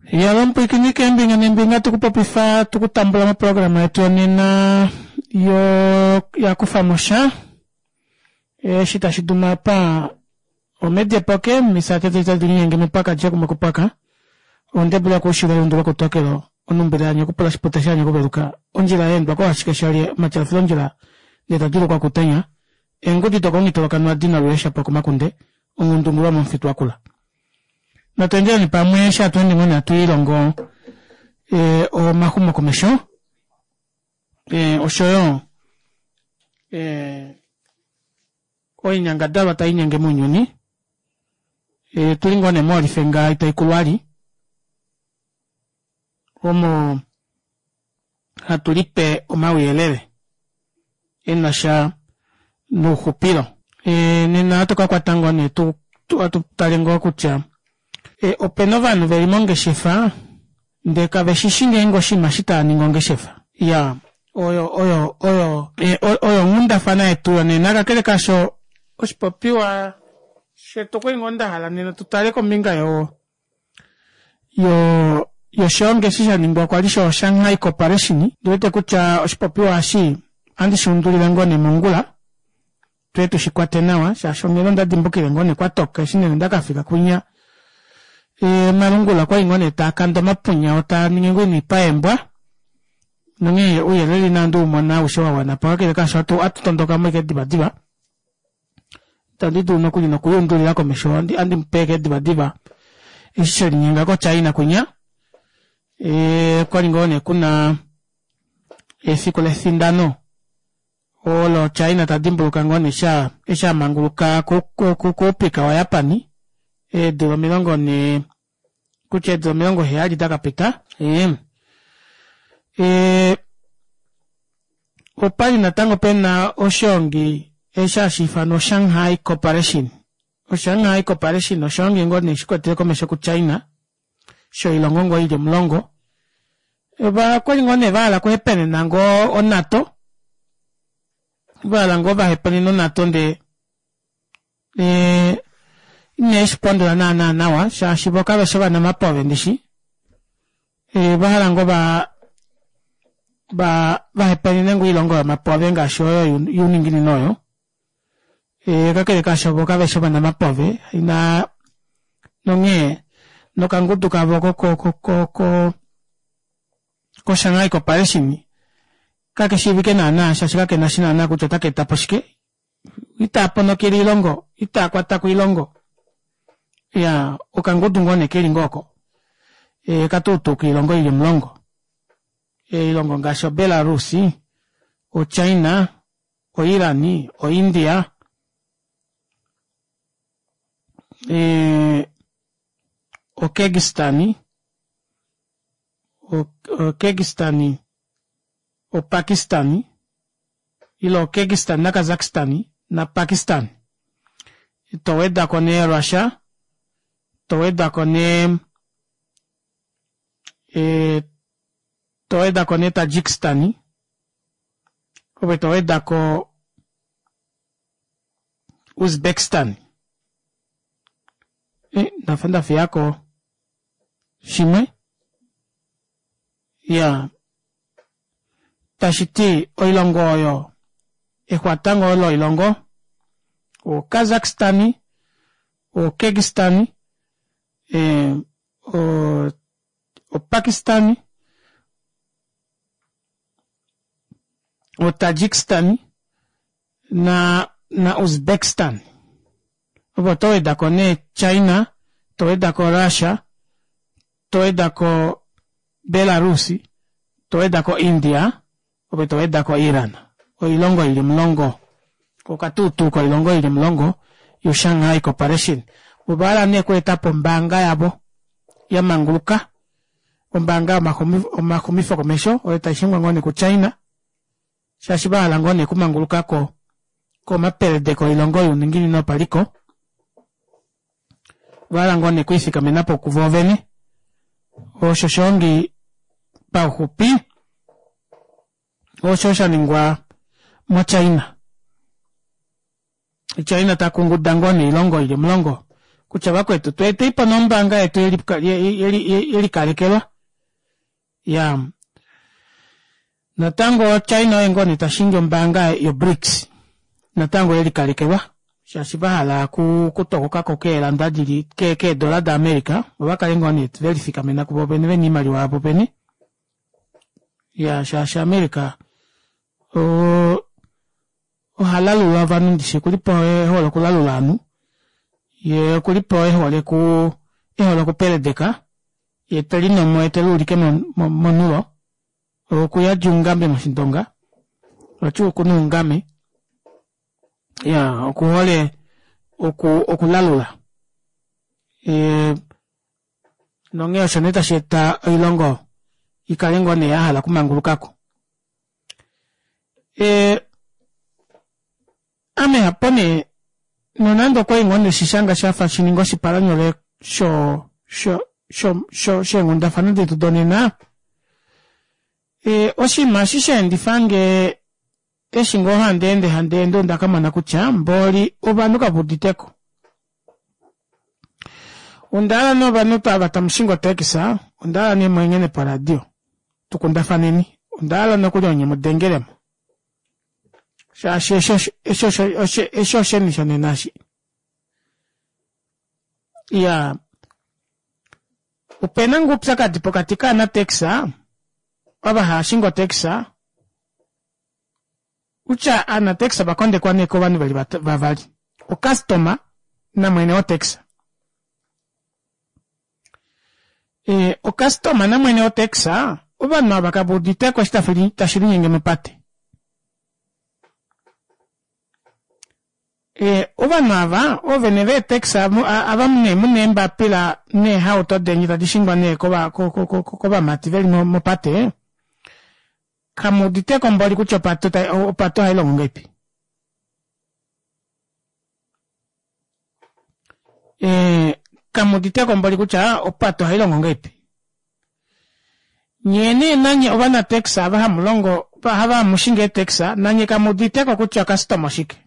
Yalo mupwiikini keembinga neembinga tukupopifa tukutambula moprograma yetu yonena yo yakufamo sha eshi tashi duma apa omedia poke misate tadi linyenge mepaka dje kupaka ondebula kuushilo lundu lokutokelo onumbila yanye okupula shipute shanye okuveluka ondjila yeendwa kohashike shalye omatyalufilo ondjila ndee tadulukwa kutenya eengudi dokomungitolokanwa dina lulesha po komakunde ongundungulwa momufitu wakula natu endeleni pamwe eshi hatu ende ngoo hatu ilongo e, omaxumokomesho e, oshoyo e, oinyangadalwa tai nyenge mounyuni e, tuli ngoo nee moolifenga itai kulwali omo hatu lipe omauyelele e na sha nouxupilo e, nena ohatu ka kwata ngoo nee tu atu tale ngoo kutya e, opena ovanhu veli mongeshefa ndee kave shishi ngeenge oshinima shi tava ningi ongeshefa ya oyo oyo oyo e, oyo onghundafana yetu yonena kakele kasho oshipopiwa shetu okwali ngoo nda hala nena tu tale kombinga yo yo yoshoonge eshi sha ningwa kwa li sho Shanghai Corporation ndi wete kutya oshipopiwa eshi ohandi shi undulile ngoo nee mongula tuye tushi kwate nawa shaashi onghela onda dimbukile ngoo nee kwatoka eshi nee nda kafika kwinya e, malungula kwali ngoo nee taa kanda omapunya otaa ningi ngoo inipa eembwa nonghee ouyelele inandi umona aushe wa wana po kakele kaasho atu tondoka mo ike divadiva itandi dulu nokuli nokuyundulila komesho andi mupeke divadiva eshi shelinyenga kochina kwinya e, kwali ngoo nee kuna efiku lefindano olo China ta dimbuluka ngoo nee sha eshi a manguluka kuupika waJapani eedula 40 kutya eedula 70 da ka pita e, e, opali natango pena oshoongi eshi hashi ifanwa Shanghai Corporation. OShanghai Corporation oshoongi ngoo nee shikwatele komesho kuChina shoilongo ngoo ili 10 okwali ngoo nee vahala okuhepenena ngoo oNATO vahala ngoo vahepenena oNATO ndee e, ine shipondola naana nawa shaashi vo kave shi ovanamapove ndishi e, vahala ngoo va vahepenene ngoo oilongo yomapove ngaashi oyo youninginino oyo e, kakele kaasho vo kave shi ovanamapove ina nonghee nokangudu kavo ko koShanghai Corporation kakeshiivike naana shaashi kakena shi naana kutya otaka eta po shike itaa ponokele oilongo itaa kwata ko oilongo ya okangudu ngoo nee keli ngoo oko e, katuutuka oilongo ili 10 oilongo ngaashi oBelarus oChina oIran oIndia e, oKyrgyzstan oKyrgyzstan oPakistan ile oKyrgyzstan naKazakhstan naPakistan to wedako nee Russia to wedako nee e, to wedako nee Tajikistan ove to wedako Uzbekistan e, ndafa ndafiyako shimwe ya tashi ti oilongo oyo exwatango olo oilongo oKazakhstan oKyrgyzstan e, oPakistan oTajikistan na na Uzbekistan opo to wedako nee China to wedako Russia to wedako Belarus to wedako India opo to wedako Iran oilongo ili 10 okatuutuka oilongo ili 10 yoShanghai Corporation ovahala nee okweeta po ombaanga yavo ya manguluka ombaanga yomaxumifo komesho oyo taishingwa ngoo nee kuChina shaashi vahala ngoo nee okumanguluka ko komapelede koilongo youninginino paliko vahala ngoo nee okwiifikamena po kuvo vene osho shoongi pauxupi osho sha ningwa moChina China ta kunguda ngoo nee oilongo ili 10 Kutya vakwetu tweeteipo nee ombaanga yetu yelikalekelwa. Iyaa natango China oye ngoo nee tashingi ombaanga yo BRICS natango yelikalekelwa shaashi vahala okutokokako keelanda dili keedola da America vo vakale ngoo nee velifikamena kuvo vene vena oimaliwa yavo vene. Iyaa shaashi America oo ohalalula ovanhu ndishi okulipo ehole okulalula ovanhu yee okulipo ehole ehole okupeledeka ye telinomo ye teluulike monulo okuyadi oungambe moshindonga vati okuna oungame iyaa okuhole okulalula nonghee osho nee tashi eta oilongo ikale ngoo nee yahala okumangulukako. Ame hapo nee nonande okwali ngoo ndeshishanga shafa shininga oshipalanyole sho sho sho sheenghundafana detu donena, oshinima eshi shaendifange eshi ngoo handi ende handi ende onda kamona kutya mboli ovanhu kaveuditeko. Ondahala nee ovanhu ava tamu shingi otaxi ondahala nee mwenghene poradio tukundafaneni ondahala nokuli onye mudengelemo shaashi eshi osheni shonena eshi. Iyaa opena ngoo oupyakadi pokati kaanataxi ava hava shingi otaxi Kutya aanataxi ova kondekwa nee kovanhu veli vavali, ocustoma namwene wotaxi. Ocustoma namwene wotaxi ovanhu ava kave uditeko eshi tashi linyenge mopate. Ovanhu ava oovene veetaxi ava nee muna eembapila neehauto deni tadi shingwa nee kovamati veli mopate, Kamuuditeko mboli kutya opate ohayi longo ngeipi? Kamuuditeko mboli kutya opate ohayi longo ngeipi? Nyee nee nanye ovanataxi ava hamu longo hava hamu shingi eetaxi nanye kamuuditeko kutya ocustom oshike?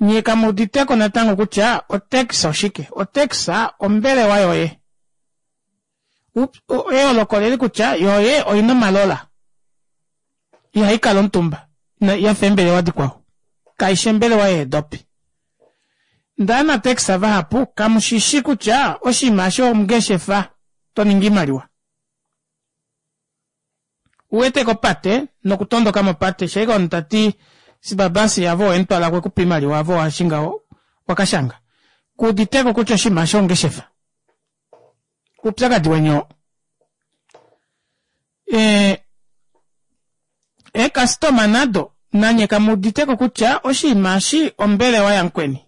Nyee kamuuditeko natango kutya otaxi oshike? Otaxi ombelewa yoye. Eyooloko oleli kutya yoye oina omalola. Ihai kala omutumba yafa eembelewa dikwao. Kaishi ombelewa yeedopi. Ndee aanataxi vahapu kamushishi kutya oshinima eshi ongeshefa to ningi oimaliwa. Uwete kopate nokutondoka mopate shee omunhu tati sibabasi ave owemutwala kwekupa oimaliwa ave owashinga wakashanga. Kuuditeko kutya oshinima eshi ongeshefa. Oupyakadi weni oo. Eekastoma nado nanye kamuuditeko kutya oshinima eshi ombelewa yamukweni.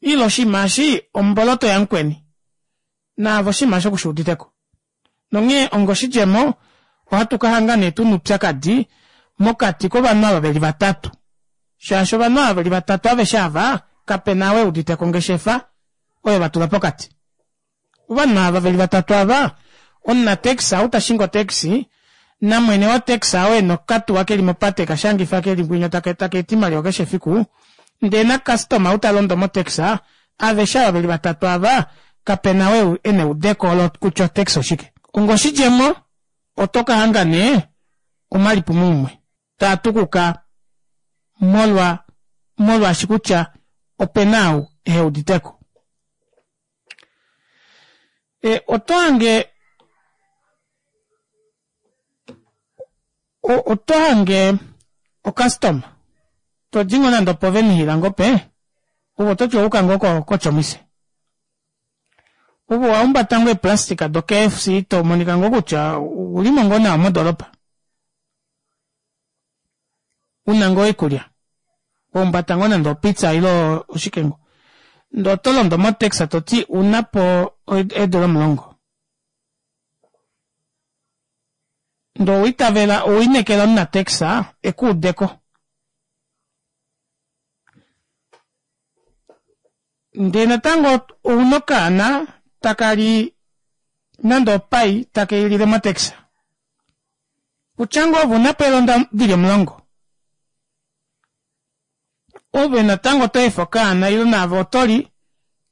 Ile oshinima eshi omboloto yamukweni. Naave oshinima eshi okushuuditeko. Nonghee ongoshidjemo, ohatu ka hanga nee tu na oupyakadi mokati kovanhu ava ve li vatatu. Shaashi ovanhu ava ve li vatatu aveshe ava, kape na ou e udite ko ongeshefa oyo va tula pokati. Ovanhu ava ve li vatatu ava, omunatekisa ou ta shingi otekisi, namwene wotekisa ou e na okatuwa ke li mopate ka shangifa ke li ngwinya taka eta oimaliwa keshe efiku, ndee nakastoma ou ta londo motekisa, Aveshe ava ve li vatatu ava, kape na ou e na eudeko olo kutya otax oshike. Ongoshidjemo, oto ka hanga nee omalipumomumwe taa tukuka molwa molwaashi kutya ope na ou ehe udite ko. E, oto hange oto hange okastoma to di ngoo nande opovenihila ngoo pe ove ototi owauka ngoo kotjomise ove owahumbata ngoo eeplastika do KFC to monika ngoo kutya oulimo ngoo nawa modoropa una ngoo oikulya wahumbata ngoo nande opizza ile oshike ngoo ndee oto londo motaxi toti ounapo eedora 10. Ndee owa itavela, owa inekela omunatekisa e ku ude ko. Ndee natango ouna okaana taka li nande opai take i lile motekisa. Kutya ngoo ove una po eelonda dili 10. Ove natango oto efa okaana ile naave oto li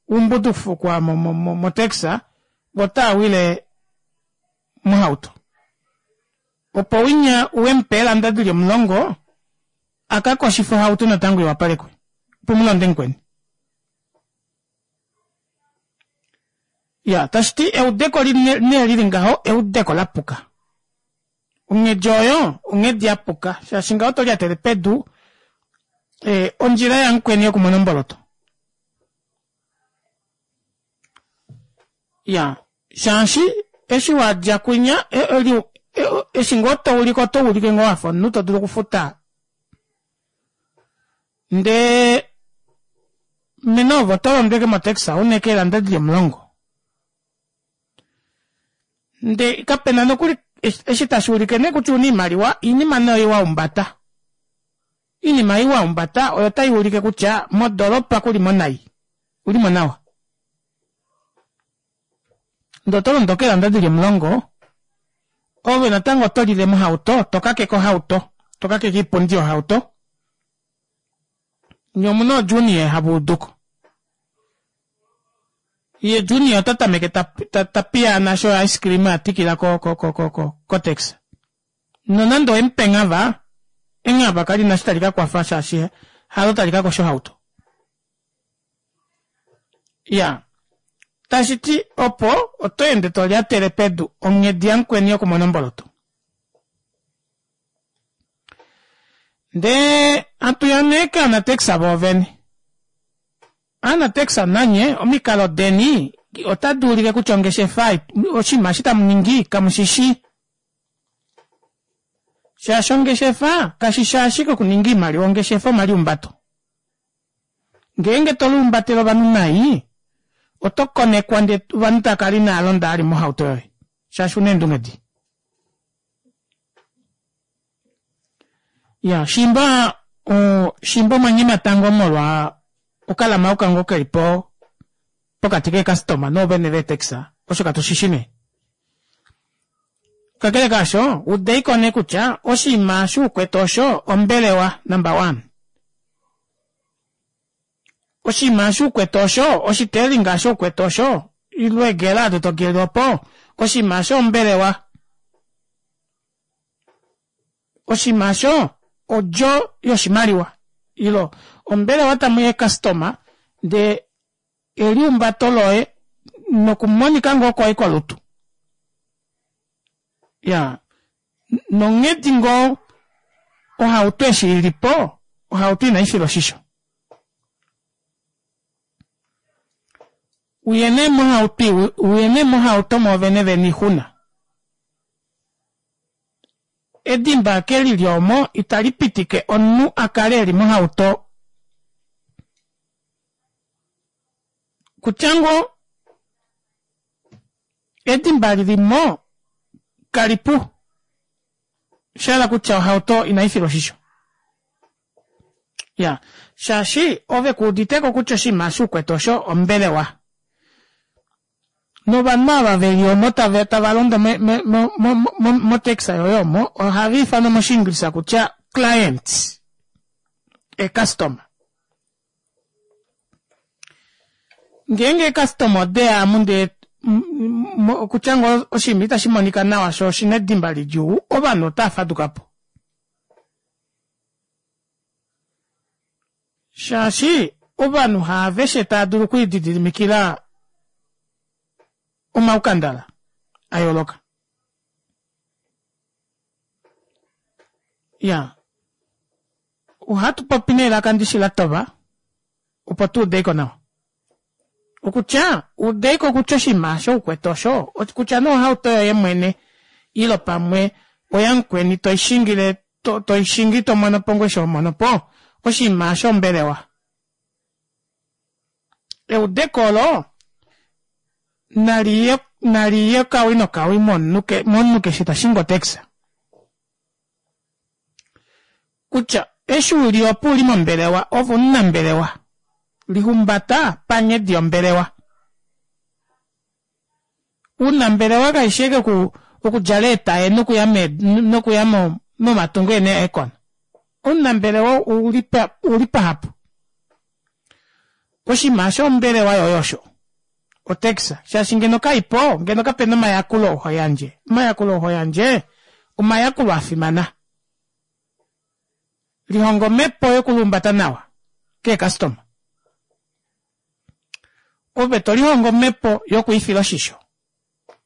umbudufukwa motaxi vo otava wile mohauto. Opo winya uwe mupe eelanda dili omulongo a ka koshife ohauto natango iwapalekwe opo mulonde mukweni. Ya tashi ti eudeko nee lili ngaho eudeko lapuka. Onghedi oyo onghedi ya puka shaashi ngaho oto lyatele pedu eh, ondjila yamukweni yokumona omboloto. Ya shaashi eshi wa dja kwinya e, e, e, eshi ngoo to ulike oto ulike ngoo wafa omunhu to dulu okufuta ndee mene ovo oto londweke motaxi una keelanda dili omulongo nde kapena nokuli eshi tashi ulike nee kutya una iimaliwa iinima nee oyo wa umbata iinima ei wa umbata oyo tai ulike kutya modolopa kuli mo nai uli mo nawa ndee oto londo keelanda dili omulongo ove natango oto lile mohauto to kakeke ohauto to kakeke iipundi yohauto nye omuna oojunior hava uduko ye junior ota tameke ta, ta, ta piyaana sho ice cream a tikila ko, ko, ko, ko, ko, kotaxi nonande owemupe enghava enghava kali na shi tali ka kwafa shaashi halo tali ka kosha ohauto ya tashi ti opo oto ende to lyatele pedu onghedi yamukweni yokumona omboloto ndee hatu ya nee kaanatekisa voovene Aanatekisa nanye omikalo deni otadi ulike kutya ongeshefa oshinima eshi tamu ningi kamu shi shi. Shaashi ongeshefa kashi shi ashike okuninga iimaliwa, ongeshefa omaliumbato. Ngeenge to liumbatele ovanhu nai, oto konekwa ndee ovanhu tava kala inava londa vali mohauto yoye shaashi una eendunge dii. Ya shimba shimba omwa nyemata ngoo molwa okalamauka ngoo keli po pokati keekastoma noovene veetaxi osho katu shi shi nee. Kakele kaasho, udeiko nee kutya oshinima eshi ukwete osho ombelewa number one. Oshinima eshi ukwete osho oshiteelinga eshi ukwete osho ile eegela ado to geele opo oshinima eshi ombelewa. Oshinima osho odjo yoshimaliwa ilo ombelewa tamu ya eekastoma ndee eliumbato loye nokumonika ngoo kwoye kolutu ya nonghedi ngoo ohauto eshi ili po ohauto inai filwa oshisho. Uye nee mohauto uye nee mohauto mwoovene veni ixuna. Edimba ake lili omo itali pitike omunhu a kale eli mohauto kutya ngoo edimba lili mo kalipu sha hala kutya ohauto inai filwa oshisho. Ya shaashi ove ku uditeko kutya oshinima eshi ukwete osho ombelewa. Novanhu ava veli omo tava tava londo me, me, mo, mo, mo, motaxi yoye omo ohava ifanwa moshiingilisa kutya clients, eecustomer. Ngeenge eecustomer ode ya amu ndee okutya ngoo oshinima itashi monika nawa sho oshina edimba lidjuu, ovanhu otava faduka po. Shaashi ovanhu haaveshe tava dulu okulididimikila omaukandala a yooloka. Ya, ohatu popi nelaka ndishi la tova opo tu ude ko nawa. Okutya ude ko kutya oshinima osho u kwete osho kutya nee ohauto yoye mwene ilo pamwe oyamukweni toi shingile to, toi shingi to mono po ngoo eshi ho mono po oshinima osho ombelewa. Eudeko olo nali ye nali ye kawi nokawi momunhu ke, momunhu keshe ta shingi otaxi. Kutya eshi u li opo u li mombelewa ove omunambelewa. Lihumbata panghedi yombelewa. Uunambelewa kashi shi ashike okudjala eetaye nokuya nokuya momatungo e na eekona. Omunambelewa ouli pahapu. Oshinima asho ombelewa yoye osho. Otax, shaashi ngeno kaipo, ngeno kapena omayakulo oo ho yandje. Omayakulo oo ho yandje, omayakulo a fimana. Lihonga omhepo yokulumbata nawa keekastoma. Ove to lihongo omhepo yokwiifila oshisho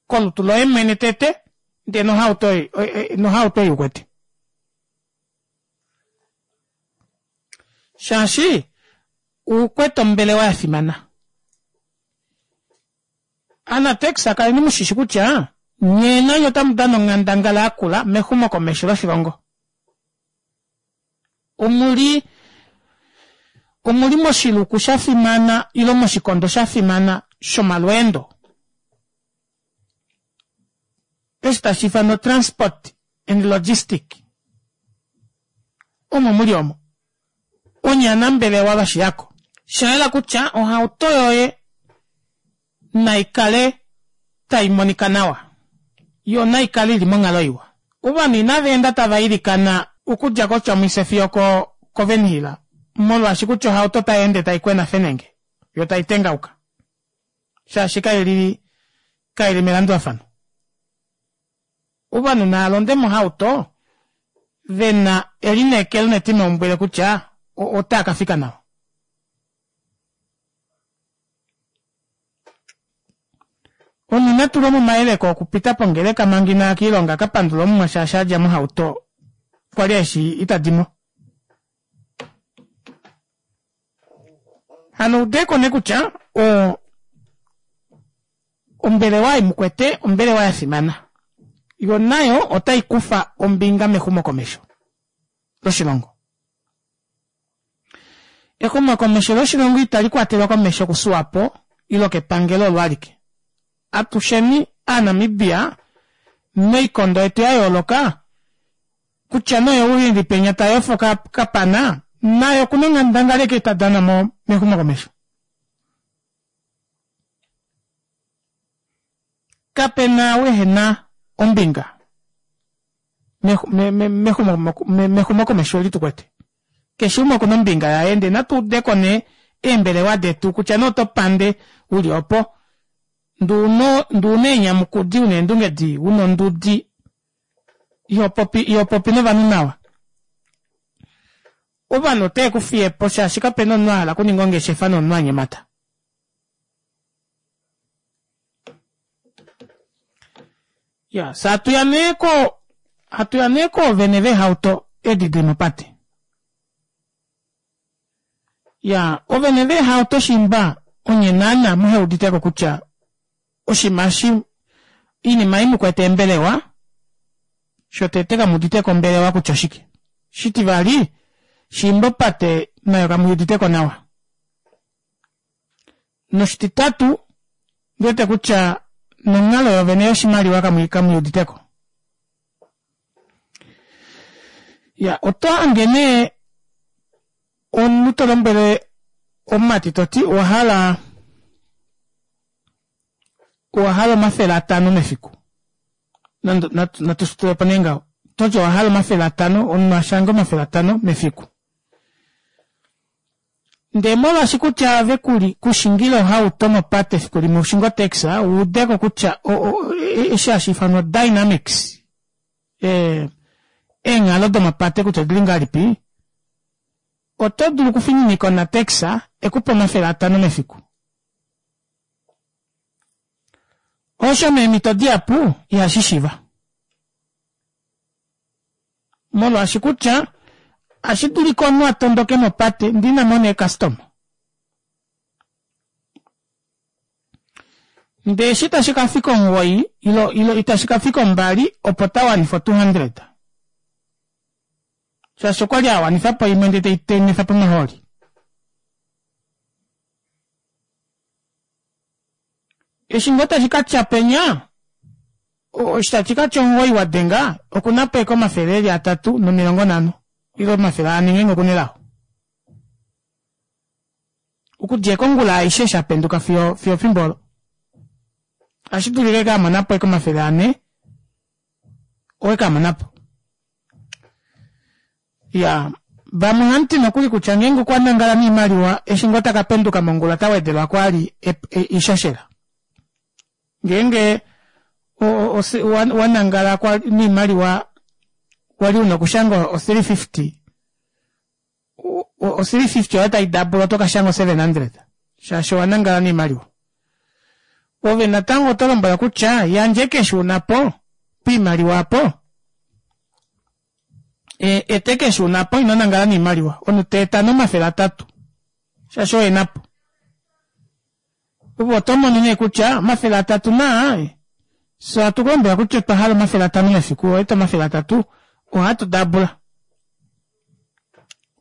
kolutu loye mwene tete, ndee nohauto nohauto ei ukwete. Shaashi ukwete ombelewa ya fimana. Anatex kaleni mushishi kutya nyee nanye otamu dana onghandangala yakula mexumokomesho loshilongo. Omuli omuli moshiluku sha fimana ile moshikondo sha fimana shomalweendo. Eshi tashi ifanwa transport and logistic. Omo muli omo. Onye anambelewa vashiyako. Sha yela kutya ohauto yoye nai kale tai monika nawa, yo nai kale i li monghalo iwa. Ovanhu inava enda tava ilikana okudja koTjomuise fiyo koWernhil molwaashi kutya ohauto otai ende tai kwena fenenge yo tai tengauka shaashi kai li kai li melandulafano. Ovanhu nava londe mohauto ve na elineekelo netimaumbwile kutya otaa ka fika nawa. Omunhu ina tulwa momayeleko okupita pongeleka manga inaya kiilonga a ka pandule Omuwa shaashi a dja mohauto kwali eshi ita di mo. Hano udeko nee kutya o ombelewa ei mukwete ombelewa ya fimana yo nayo otai kufa ombinga mexumokomesho loshilongo. Exumokomesho loshilongo itali kwatelwa komesho kuSwapo ilo kepangelo olo alike. Atusheni Aanamibia moikondo yetu ya yooloka, kutya nee ou e li penya ta yofo kapana, naye oku na onghandangala eke ta dana mexumokomesho. Kape na ou ehe na ombinga mexumokomesho eli tu kwete. Keshe umwe oku na ombinga yaye ndee natu ude ko nee eembelewa detu kutya nee oto pande u li opo ndee una eenyamukudi, una eendunge dii, una ondudi iho popi, iho popi novanhu nawa. Ovanhu otave ku fiye po shaashi kape na omunhu a hala okuninga ongeshefa nomunhu a nyemata. Ya, fye hatu ya nee ko, hatu ya nee koovene veehauto edi dili mopate. Ya, ovene veehauto shimba onye naana muhe uditeko kutya oshinima eshi, iinima ei mukwete eembelewa, shotete kamu uditeko ombelewa kutya oshike. Shitivali, shimba opate nayo kamu uditeko nawa. Noshititatu, ndi wete kutya nonghalo yovene yoshimaliwa kamu i udite ko. Ya, oto hange nee omunhu to lombwele omumati to ti owa hala owa hala 500 mefiku. Nando natu shi tule po nee ngaho. To ti owa hala 500, omunhu a shange 500 mefiku. Ndee molwaashi kutya ove ku li kushingila ohauto mopate efiku limwe ushinge otaxi, u ude ko kutya eshi hashi ifanwa dynamics, eenghalo domopate kutya odili ngahelipi, oto dulu okufininika onataxi e ku pe 500 mefiku. Osho meemhito dihapu ihashi shiva. Molwaashi kutya ohashi dulika omunhu a tondoke mopate ndee ina mona eekastoma. Ndee eshi tashi ka fika omuwoi ilo ilo itashi ka fika ombali opo ta wanifa o 200. Shaashi okwa li a wanifa po imwe ndee tei tei po omahooli. Eshi ngoo tashi ka tya penya, eshi tashi ka tya omuwoi wa denga, oku na po eke 350 ile 400 ngeenge oku na elao. Okudja eke ongula aishe eshi a penduka fiyo fiyo efimbo olo. Ohashi dulika eke a mona po eke 400 owe ka mona po. Ya. Vamwe ohamu ti nokuli kutya ngeenge okwa nangala noimaliwa eshi ngoo taka penduka mongula ota wedelwa ko ali oishoshela. Ngeenge wa nangala noimaliwa wali una okushanga o 350, o 350 oyo tai dabula oto ka shanga o 700 shaashi owa nangala noimaliwa. Ove natango oto lombwela kutya yandje keshe una po poimaliwa apo ete keshe una po ino nangala noimaliwa omunhu ta eta no300 shaashi oye napo. Ove oto mono nee kutya 300 naa fye ohatu ku lombwela kutya otwa hala 500 mefiku owa eta 300 ohatu dabula.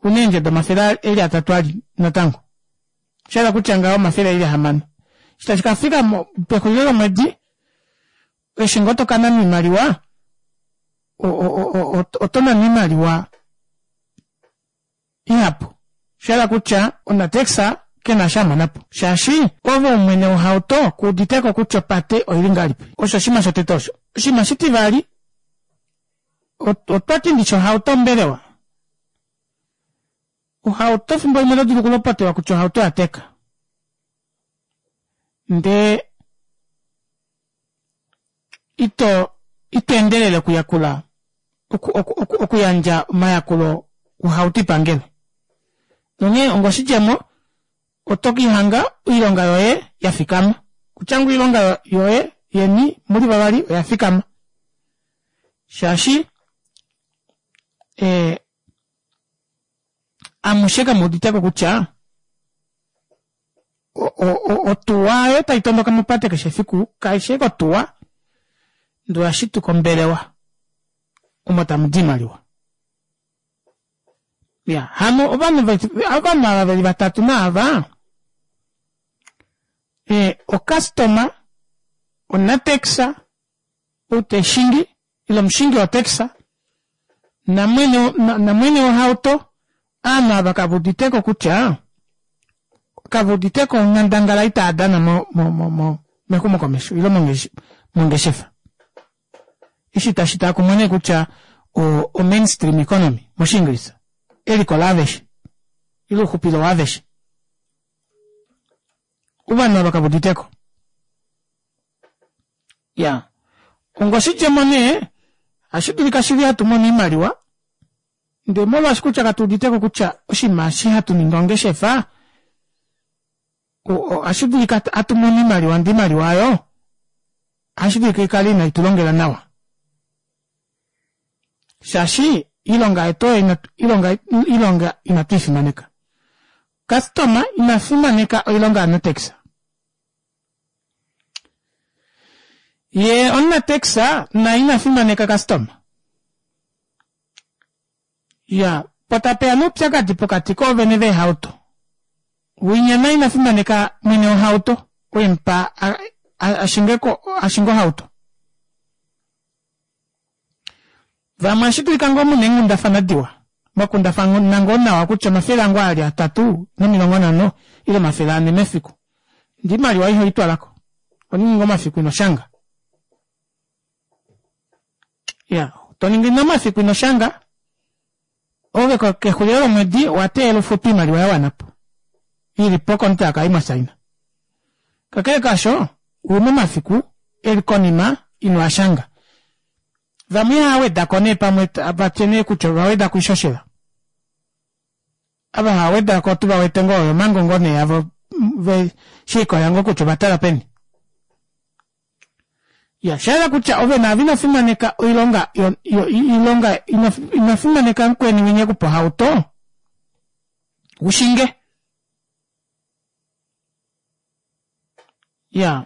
Una eendjo domafele eli atatu ali natango. Osha hala kutya ngaho omafele eli ahamano. Eshi tashi ka fika pexulilo lomwedi eshi ngoo to ka nana oimaliwa oto nana oimaliwa ihapu. Osha hala kutya omunatekisa ke na sha a mona po shaashi ove oumwene wohauto ku udite ko kutya opate oili ngahelipi. Osho oshinima shotete osho. Oshinima shitivali, otwa ti ndishi ohauto ombelewa. Ohauto efimbo limwe oto dulu okulopotelwa kutya ohauto oya teka. Ndee ito ito endelele okuyakula okuyandja omayakulo ohauto ipangele. Nonghee ongoshidjemo oto kihanga oilonga yoye ya fikama. Kutya ngoo oilonga yoye yeni muli vavali oya fikama. Shaashi eh, amushe kamu uditeko kutya otuwa oyo tai tondoka mopate keshe efiku kaishi ashike otuwa ndee oya shituka ombelewa omo tamu di oimaliwa. Ya hano ovanhu ovanhu ava veli vatatu naava eh, okastoma onatekisa ou teshingi ile omushingi wotekisa namwene namwene wohauto aanhu ava kave uditeko kutya kave uditeko onghandangala itaa dana mo, mo, mo, mo, mexumokomesho ile mongeshefa. Eshi tashi taa kumwe nee kutya o, o mainstream economy mOshiingilisa eliko laaveshe ile ouxupilo waaveshe. Ovanhu ava kave uditeko. Ya ongoshidjemo nee ohashi dulika shili hatu mono oimaliwa ndee molwaashi kutya katu uditeko kutya oshinima eshi hatu ningi ongeshefa ohashi dulika hatu mono oimaliwa ndee oimaliwa oyo ohashi dulika ikale inai tu longela nawa shaashi iilonga yetu oyo ilonga ilonga inatu i fimaneka. Customer ina fimaneka oilonga yaNatex. Ye omunatex naye ina fimaneka customer. Ya, po tapeya nee oupyakadi pokati koovene veehauto. Winya naye ina fimaneka mwene wohauto, oo e mu pa a shinge ko a shinge ohauto. Vamwe ohashi dulika ngoo mu na eenghundafana diwa, mwa kundafana ngoo nawa kutya omafele angu aa li 350 ile 400 mefiku. Ndee oimaliwa iho i twala ko. Oho ningi ngoo omafiku ino shanga. Ya, to ningi nee omafiku ino shanga, ove kexulilo lomwedi owa teelela u futwe oimaliwa ya wana po, i li pokontraka ei mwa saina. Kakele kaasho, u na omafiku e li konima ino a shanga. Vamwe ihava weda ko nee pamwe va tye nee kutya ova weda ko oishoshela. Ava hava weda ko otu va wete ngoo oyo omango ngoo nee avo ve she likolelela ngoo kutya ova tala peni. Ya, sha yela kutya ove naave ino fimaneka oilonga yo, yo, ilonga ino, ino fimaneka mukweni winya e ku pa ohauto u shinge. Ya,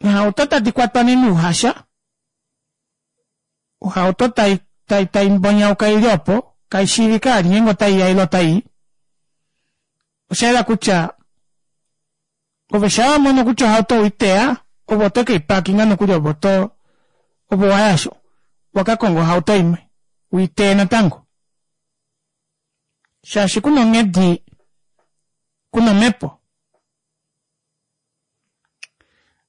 eehauto tadi kwatwa nee nouhasha, ohauto tai, tai, tai mbonyauka ili opo, kai shiivike ali ngeenge otai ya ile otai i. Osha yela kutya ove shaa wa mono kutya ohauto oi teya, ove oto ke i parkinga nokuli ove oto, ove owa ya wa ka konga ohauto imwe u i teye natango. Shaashi ku na onghedi, ku na omhepo.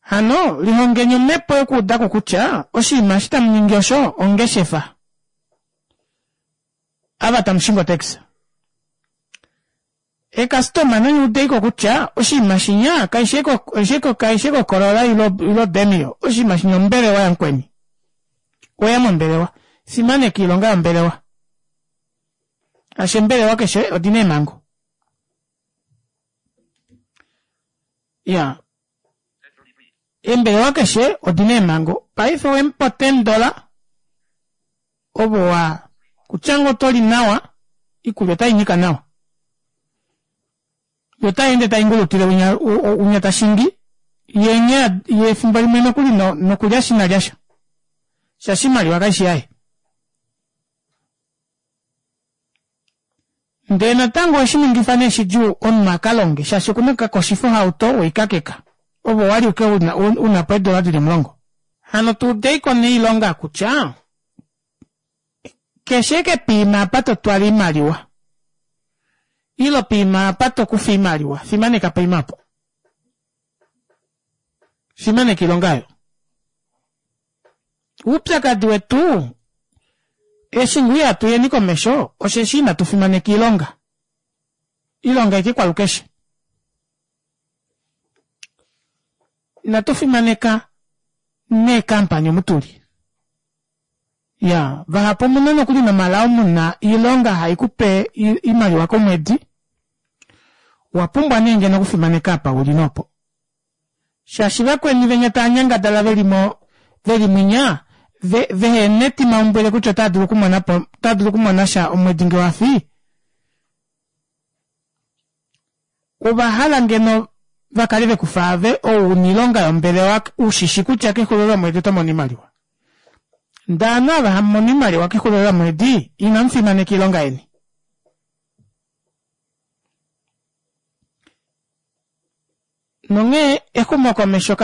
Hano lihongeni omhepo yokuuda ko kutya oshinima eshi tamu ningi osho ongeshefa. Ava tamu shingi otaxi. Eekastoma nanye udeiko kutya oshinima shinya kaishi kaishi Corolla ilo Demio, oshinima shinya ombelewa yamukweni. Oya mombelewa. Fimaneka iilonga yombelewa. Shaashi eembelewa keshe odina eemhango. Iya. Eembelewa keshe odina eemhango. Paife owemupa $10 ovo wa kutya ngoo oto li nawa, iikulya otai nyika nawa. Yo otai ende tai ngulutile winya winya ta shingi, ye nghee ye efimbo limwe nokuli nokulya sha ina lya sha. Shaashi oimaliwa kaishi yaye. Ndee natango oheshi ningifa nee shidjuu omunhu a ka longe shaashi okuna oku ka koshifa ohauto weikakeka ove owali uke una po eedola dili omulongo. Hano tu udeiko nee oilonga kutya keshe eke piima apa to twala oimaliwa ilo piima apa to kufa oimaliwa fimaneka poima opo. Fimaneka oilonga oyo. Oupyakadi wetu eshi ngoo ihatu yeni komesho osheshi inatu fimaneka iilonga. Iilonga aike kwalukeshe. Inatu fimaneka neekampani omu tuli. Ya, vahapu omuna nokuli nomalao muna iilonga hai ku pe iimaliwa komwedi. Owa pumbwa nee ngeno okufimaneka apa uli nopo. Shaashi vakweni venya tava nyangadala ve li mo, ve li mwinya, ve, vehe na etimaumbwile kutya otava dulu okumona po, otava dulu okumona sha omwedi nge wa fi, ova hala ngeno va kale ve ku fa ave ou u na oilonga yombelewa u shi shi kutya kexulilo lomwedi oto mono oimaliwa. Ndee ovanhu ava hamu mono oimaliwa kexulilo lomwedi, inamu fimaneka oilonga yeni. Nonghee exumokomesho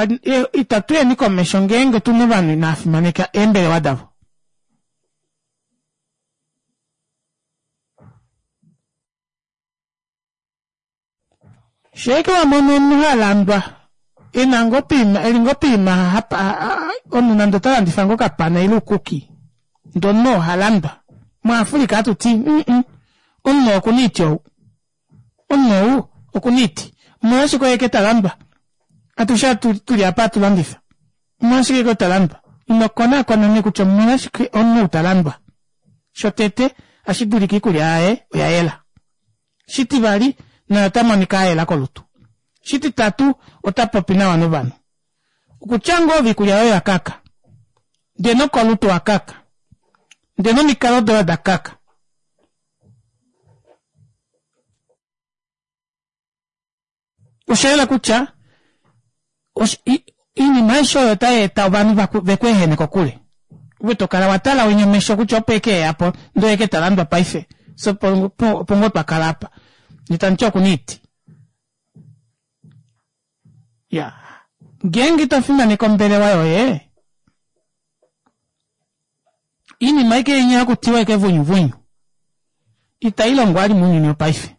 itatu yeni komesho ngeenge tu na ovanhu inava fimaneka eembelewa davo. Sheeke wa mono omunhu ha landwa e na ngoo poima e li ngoo poima omunhu nande ota landifa ngoo okapana ile uukuki ndee omunhu oo oha landwa. MuAfrica hatu ti omunhu oo oku na oiti ou. Omunhu ou oku na oiti. Omolwashike oye ke ta landwa? Atushe tu li apa hatu landifa. Omolwashike ke ta landwa? Ino konaakona nee kutya omolwashike omunhu ou ta landwa. Shotete, ohashi dulika iikulya yaye oya yela. Shitivali, naye ota monika a yela kolutu. Shititatu, ota popi nawa novanhu. Okutya ngoo ove iikulya yoye oya kaka, ndee nokolutu owa kaka, ndee nomikalo doye oda kaka. Osha yela kutya oinima aishe oyo otai eta ovanhu ve ku ehene kokule. Ove to kala wa tala winya omesho kutya opo eke eya po ndee oye ke ta landwa paife. Fye opo ngoo twa kala apa. Ndee tamu ti oku na oiti. Ya. Ngeenge ito fimaneke ombelewa yoye, iinima aike inya hakutiwa eke vunyuvunyu itai longo ali mounyuni wopaife.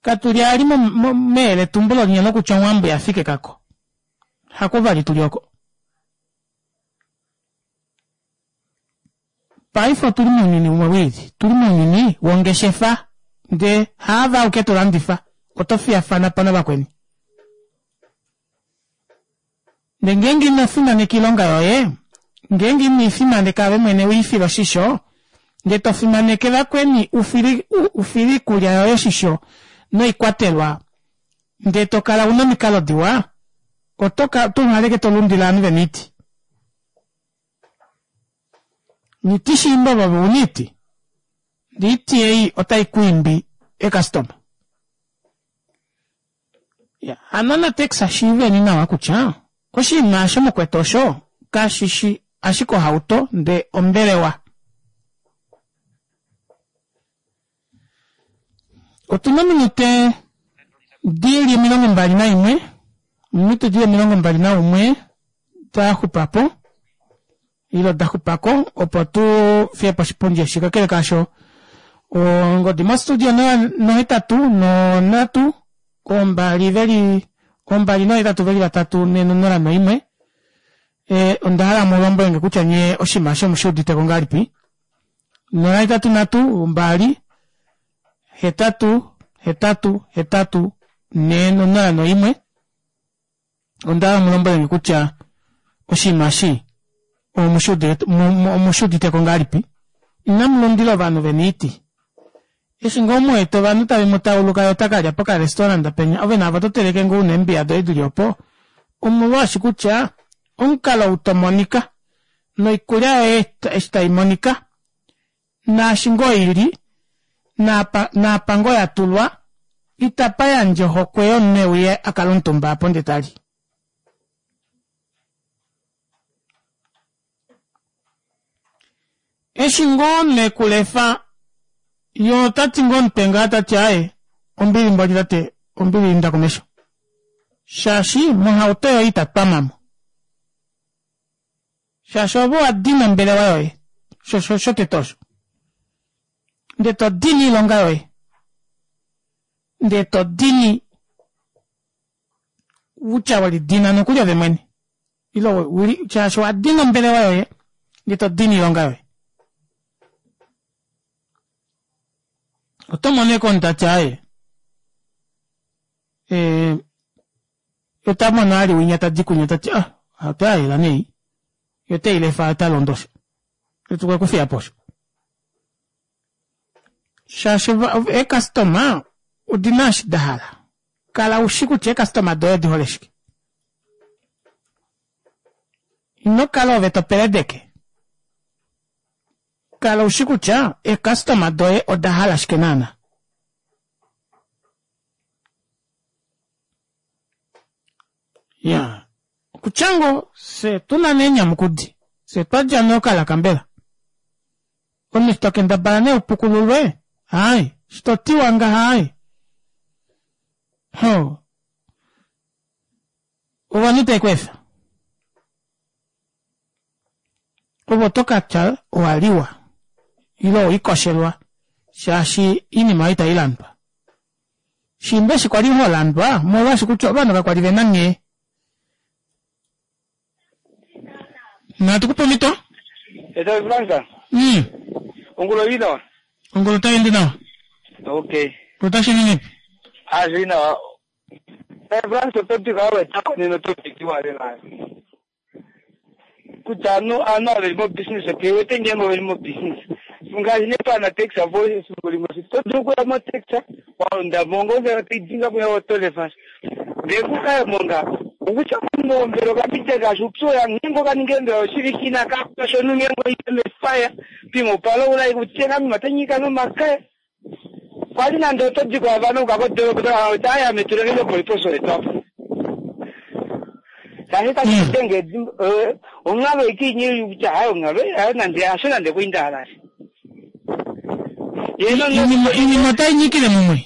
Katu li ali meyeletumbulo linya lokutya onghambo ya fika ekako. Hako vali tuli oko. Paife otuli mounyuni umwe wili. Tuli mounyuni wongeshefa ndee haave auke to landifa, oto fiyafana po navakweni. Ndee ngeenge ino fimaneka oilonga yoye, ngeenge ino i fimaneka ove mwene u i file oshisho, ndee to fimaneke vakweni u file oikulya yoye oshisho noikwatelwa, ndee to kala u na omikalo diwa, oto ka oto uhala ashike to lundile ovanhu ve na oiti. Niti shiimba ove u na oiti, ndee oiti ei otai ku imbi eekastoma. Ya, hano naTex shiiveni nawa kutya oshinima osho mukwetu osho kashi shi ashike ohauto ndee ombelewa. Otuna ominute dili 21, ominute dili 21 da xupapo ilo da xupako opo tu fiye po oshipundi eshi. Kakele kaasho, ongodi mostudio nohetatu nonhatu ombali veli ombali nohetatu veli vatatu nenonola noimwe. E, onda hala mu lombwele nge kutya nye oshinima eshi omu shi udite ko ngahelipi. 083 2 8 8 8 4 0 1 Onda hala mu lombwele nge kutya oshinima eshi omu shi udite ko ngahelipi. Inamu lundila ovanhu vena oiti. Eshi ngoo mu wete ovanhu tave mu tauluka ye ota ka lya pokarestaurant penya ove naave oto teleke ngoo una eembiya doye dili opo omolwaashi kutya omukalo ou to monika noikulya yoye eshi tai monika naashi ngoo ili naapa naapa ngoo ya tulwa itapa yandje ohokwe yomunhu e uye a kale omutumba apo ndee ta li. Eshi ngoo ne kulefa ye ota ti ngoo omutwe ngaa ta ti aaye ombili mboli tate ombili inda komesho shaashi mohauto yoye ita twamamo shaashi ove owa dina ombelewa yoye shotete osho ndee to dini iilonga yoye ndee to dini kutya we lidina nokuli ove mwene ile shaashi owa dina ombelewa yoye ndee to dini iilonga yoye oto mono eke omuntu tati aaye eh, ota mono ali winya tadi kunya tati ah ohauto ya yela nei yo te i lefa ota londo osho etukwe kufiya po osho shaashi eekastoma odi na eshi da hala kala u shi kutya eekastoma doye odi hole shike ino kala ove to peledeke kala u shi kutya eekastoma doye oda hala shike naana ya okutya ngo fye tu na nee nyamukudi fye twa dja nee okalaka mbela omunhu to kendabala nee upukululwe haai shi to tiwa ngaha haai ho ovanhu tave ku efa ove oto ka tya owa liwa ile oikoshelwa shaashi iinima oyo itai landwa shiimba eshi kwali ho landwa molwaashi kutya ovanhu kakwali ve na nghee Natu ku pe omhito. Eta Fransa. Ongula oi nawa. Ongula otai ende nawa. Okay. Otashi ningi. Ah, zvi nawa. Eh, Fransa topic awe tako nino topic iwa lela. Kutya anu anu ave li mo business okay wete ngeenge ove li mo business. Ngaashi nee pana taxi avo efimbo limwe to dulu okuya mo taxi wa londa mo ngoo toidinga kuya oto lefa. Ndee kukaye monga okutya mombelo kapite ngaashi upyu oya ngeenge okaninga embela oshivike inaka shonu ngeenge oimefaya pimwe opalo ula kutenga mima tanyika nomakaya kwali nande oto di kwaavana uka kodoropa otaya metulenge lopoliposo etwapo shaashi tashi kutenge onghalo ikinyi kutya hayi onghalo hayo nande hasho nande kuindahala Iinima otai nyikile mumwe.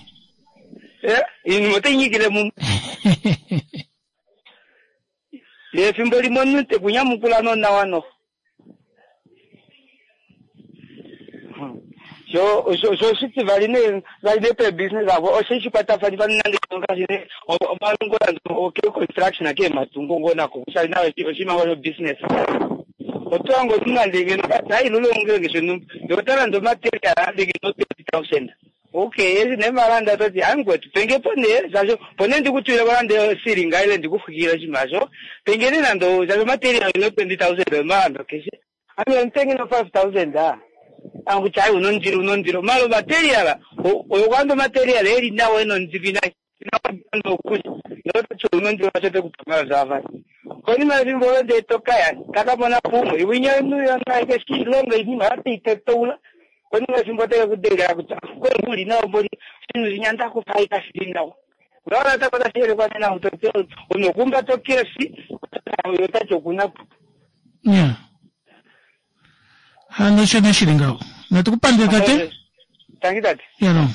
Eh, iinima otai nyikile mumwe. Efimbo limwe omunhu te ku nyamukula nonawa noho. Sho sho oshitivali nee vali nee peebusiness avo oshe shi kwatafanifa nande ngaashi nee omalongo nande oke construction ake matungo ngoo nako kutya nayo oshinima ngoo sho business. Oto hange omunhu nande ngeno tati hai lulonge nge shonhumba ndee ota landa omaterial nande ngeno 20,000. Okay, eshi nee valanda toti hai mukwetu penge po nee shaashi opo nee ndikutulile ko nande osilinga ile ndikuxwikile oshinima osho penge nee nande shaashi omaterial ino 20,000 omalando keshe ame omutenge no 5,000 aa aa kutya hai una ondilo una ondilo mala omaterial oyo kwanda omaterial eli nawa ena ondilo ina ina okulya ndee ototi una ondilo shaashi otekupa mala zvaavali konima yefimbo olo ndee tokaya takamona po umwe winya omunhu keshi ilonga oinima oteitetoula Konima yefimbo ote ke ku dengela kutya kwe u li nawa mboli, oshinhu shinya nda kufa hai kashi li nawa. Ngaho natango otashi yelekwa nena omuntu omunhu okwa umbata okeshi ota ti oku na po. Ya. Hano osho nee shili ngaho. Natu ku pandule tate. Tangi tate. Ya no.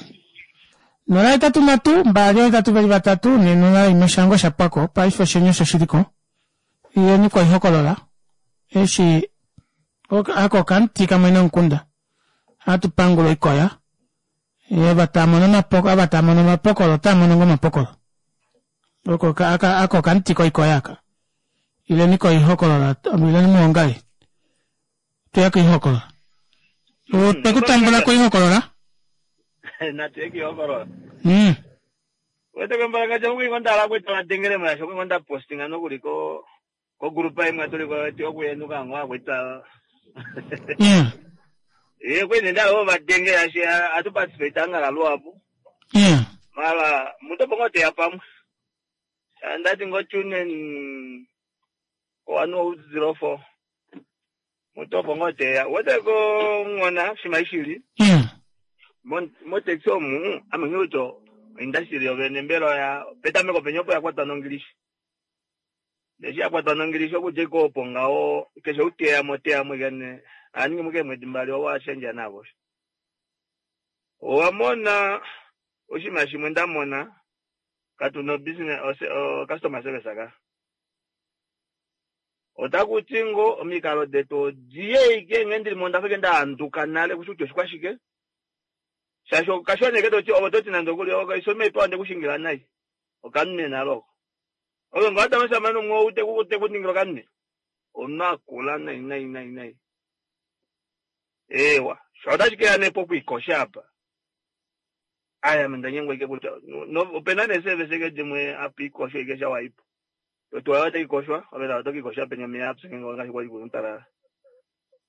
083 2 8 3 4 01 shango sha pwako paife osheni osho shili ko. Yeni koihokolola. Eshi ako okamuti kamwe nomukunda hatu pangula oikoya ye ava taa mono omapoko ava taa mono omapokolo otaa mono ngoo omapokolo oko aka ako okamuti koikoya aka. Ileni koihokolola, ileni muongale. Tuye koihokolola. Otwe ku tambula koihokolola. Natu ye koihokolola. Wete kembalanga mukwi ngo ndala kwita vadengele mwasho kwi ngo ndapostinga nokuli ko kogrupa imwe tuli ko yetu yokuyenuka ngo akwita. Yeah. Ye kwi ndala vo vadengele ashi atu participate anga kaluapo. Yeah. Mara mutopo ngo teya pamwe. Ndati ngo tune in 1004. Mutopo ngo teya. Wete ko ngona shimaishili. Yeah. Motaxi omu amenyuto industry yovene mbela ya petameko penye opo yakwatwa nongilishi. Eshi yakwatwa nongilishi okudja iko opo ngaho keshe uteya mo teya mo kene aningi muke mwedi mbali owa shendja navo. Owa mona oshinima shimwe ndamona katuna business customer service aka. Otakuti ngo omikalo detu odiye ike nge ndili monda fike ndaanduka nale kushi oshikwashike. Shasho kashoneke toti ovo toti nande okuli okaisome ipa onde kushingila nai. Okanune naloko. Oyo ngata masamano mwo ute kukute kuningila kanune. Onakula nai nai nai nai. Ewa, shoda chike ane po kuikosha apa. Aya menda nyengwa ike kutya no opena ne service ke dimwe api ikosha ike sha waipo. Totu ayo ikoshwa, obela to ikosha penya me apps ngengo ngashi kwa ikuntara.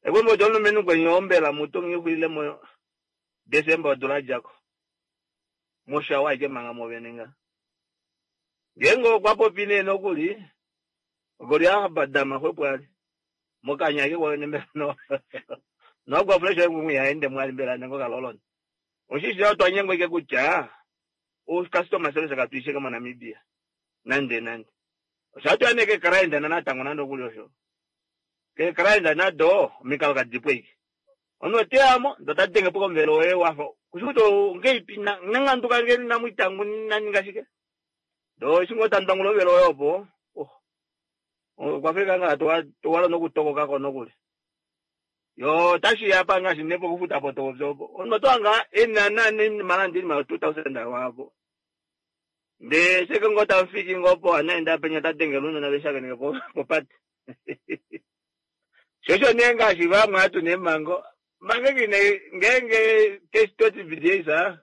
Ekwembo jolo menu kwenye ombela mutu ngihwile mo December odula jako. Mosha waike manga movenenga. Ngengo kwa popine nokuli. Goli abadama hwepo ali. Mokanya ke kwa nembe no. No kwa fresh ngu yaende mwali mbela nengo kalolon. Oshishi watu anyengo ike kutya. O customer service katuishe kama Namibia. Nande nande. Oshatu aneke karaenda na natango nando kuli osho. Ke karaenda na do mikalo kadipwe iki. Ono te amo ndo tatenge poko mvelo we wafa. Kushuto ngeipi na nanganduka ngeni na mwitangu naninga shike. Do shingo tandangulo velo yopo. Oh. Kwa Afrika nga to wala nokutokoka kono kuli. Yo tashi yapa nga shinepo kufuta poto zopo. Ono to anga ena na ni malandi ma 2000 wapo. Nde seke ngota mfiki ngopo anaenda penya tatenge luno na beshaka ngepo popati. Shosho nenga shiva mwatu nemango. Mange kine ngenge kestoti videsa.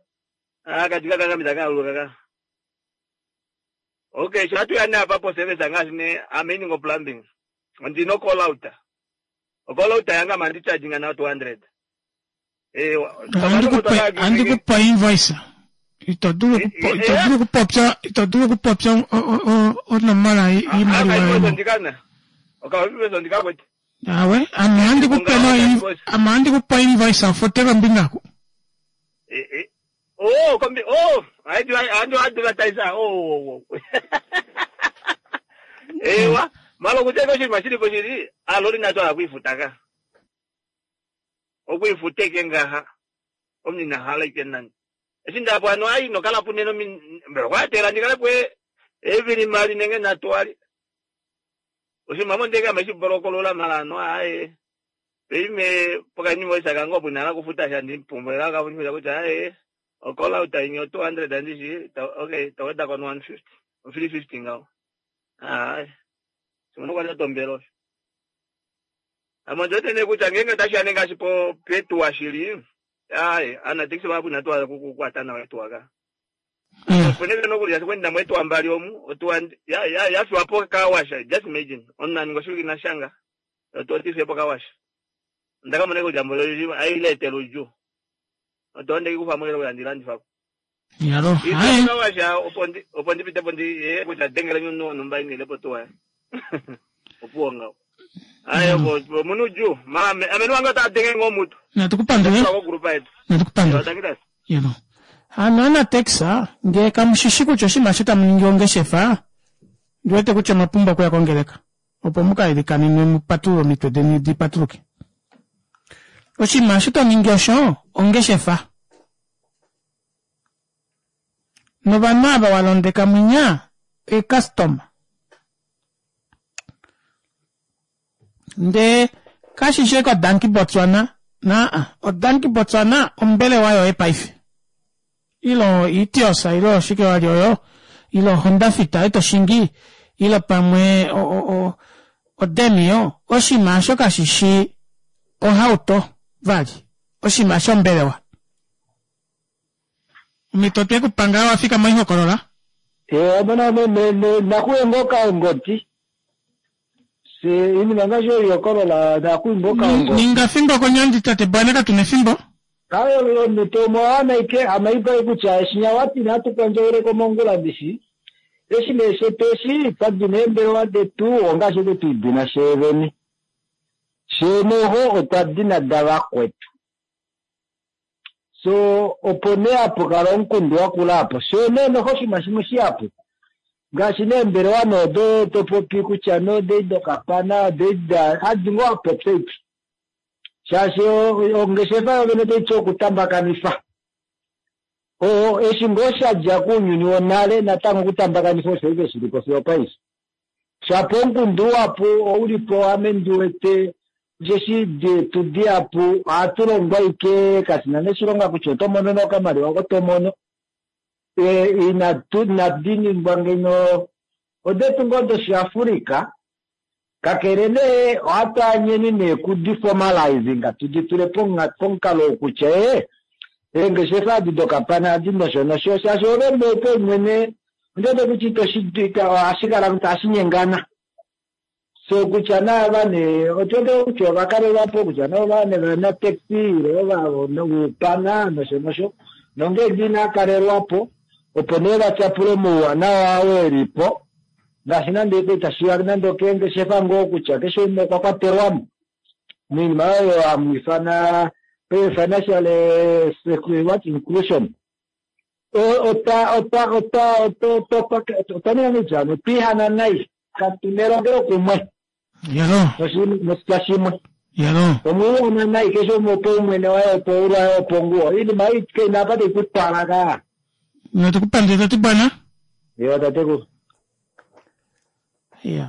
Ah katika kaka mitaka kaka. Okay, shatu ya na papo service ngasi ne ameni plumbing. Ndino call out. Call out yanga mandi charging na 200. Eh, andikupa invoice. Ito dulu kupopya, ito dulu kupopya onomola imaliwa. Ndikana. Okay, ndikakwe. Awe, ame andikupa invoice afoteka mbingako. Oh, kombi, oh, I do advertise. Oh. Ewa, malo kuteka oshinima shili po shili, aloli natwala kuifutaka. Okuifuteke ngaha. Omunhu hala ike nani. Eshi ndapo ano ai nokala puneno mbela kwatela ndikale pwe evili mali nenge natwali. Oshinima mondeka meshibholokolola mala ano aye. Peime pokanyimo isaka ngopo nala kufuta sha ndimpumbwela kafuta kutya aye. Okola uta inyo 200 andishi, okay, taweda kon 150. 350 ngao. Aye. Simono kwa tombelo. Amonjote ne kutya ngenge tashi anenga shipo petu washili. Aye, ana taxi babu natwa kukwata na wetu waka. Ponele nokuli kwenda mwetu ambali omu, otu ya ya ya fiwapo kawasha. Just imagine. Onna ngoshuki na shanga. Otu tifepo kawasha. Ndaka mone ko jambo aile teluju. Otonde kufa mwele ko ndilandifa. Yalo. Aye. Kawasha opo opo ndipite po ndi eh kutya dengele nyuno numba ini lepo tuwa. Opuo ngao. Aye bo munuju. Ma amenu wanga ta denge ngomutu. Natukupandule. Kwa grupa yetu. Natukupandule. Yalo. Hano na taxa nge kamushishi kutya oshinima sho tamu ningi ongeshefa ndiwete kutya omwa okuya kongeleka opo mukailikanene mupatulule omitwe deni dipatuluke. Oshinima sho to ningi osho ongeshefa. Novanhu ava walondeka mwinya ecustomer. Nde kashishi ko Danki Botswana naa odanki Botswana ombelewa yoye paife. Ilo Etiosa ilo oshike wali oyo ilo Honda Fit ito shingi ilo pamwe o oDemio oshinima osho kashi shi ohauto vali, oshinima shombelewa. Omhito twe ku panga wa fika moihokolola. Ee, amona nakuye ngoo kaongoti. Se iinima ngaashi oihokolola nakuye ngoo kaongoti. Ninga fimbo konyandi tate Bwana katu nefimbo. Kayo omhito omo ike amaipa kutya eshinya wati natu kondjele komongula ndishi. Eshi nee shetu eshi twa dina eembelewa detu ongaashi eke twidina sheevene. Sheenoho otwa dina davakwetu. So opo nee hapu kala omukundu wakula apo. Shoo nee noho oshinima shimwe shihapu. Ngaashi neembelewa noodo to popi kutya nodei dokapana odei da hadi ngoo apopya iki. Shaashi ongeshefa yovene otai ti okutambakanifa. Oo eshi ngoo sha dja kounyuni wonale natango okutambakanifa osho ike shili po fiyo opaife. Shapo omukundu uhapu oulipo ame ndi wete osheshi detu dihapu ohatu longwa ike kashina neshilonga kutya oto mono nokamaliwa oko to mono. Inatu inadi ningwa ngeno odetu ngoo doshiAfrika kakele nee ohatu anyeni nee kudi formalizing tudi tule pomukalo wokutya eengeshefa adi dokapana adi nosho nosho shaashi ove mbepo mwene ondiwete kutya itoshi ohashi kala ohashi nyengana. So kutya naava nee otiwete kutya ovakalelwapo kutya nova ne vana taxi ile ovaupana nosho nosho nongeenge inakalelwapo opo nee vatyapule omauwanawa oo elipo ngaashi nande itashiya nande okeengeshefa ngoo kutya keshe umwe okwa kwatelwamo moinima oyo hamu ifana financial what inclusion. Ota ota ota ota otwa ninga ngeityano otwiihana nai katu nelongelo kumwe Yalo. noshitya shimwe. Yalo. Omwiihana nai keshe umwe opo umwene waye opo ulwaye opo nguwo iinima ei keina apa taikutwala ka. Notukupandula tati bwana. Yo tateku. Ya,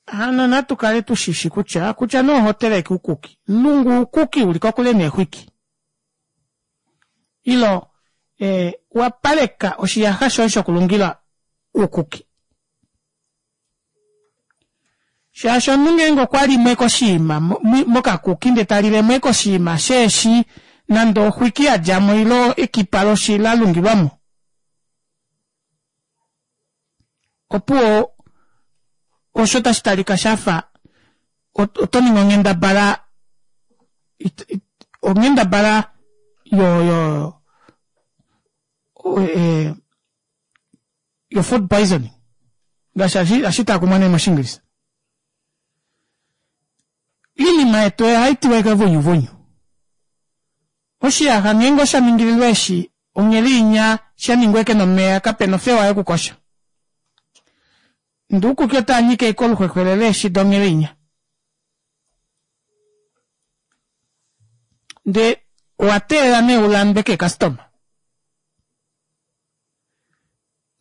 hano natu kale tushishi kutya kutya nee oho teleke uukuki. Lungu uukuki uli kokule neexwiki. Ilo wapaleka oshiyaxa shoye shokulungila uukuki. Shaashi omunhu ngeenge okwa limwe koshiima mokakuki ndee talilemo koshiima sheeshi nande oxwiki yadjamo ilo ekipa loshi lalungilwamo. Opuwo osho tashi talika shafa oto ningi onghendabala onghendabala yo yo yo food poisoning ngaashi ashitaakumwa nee moshiingilisa. Iinima yetu ohayi tiwa ike vunyuvunyu. Oshiyaxa ngeenge osha ningililwa eshi ongheli inya sha ningwa eke nomeya kapena ofewa yokukosha. Ndee uukuki otaa nyike ike oluxwexwele leeshi donghele inya. Ndee owa teelela nee ulandwe keekastoma.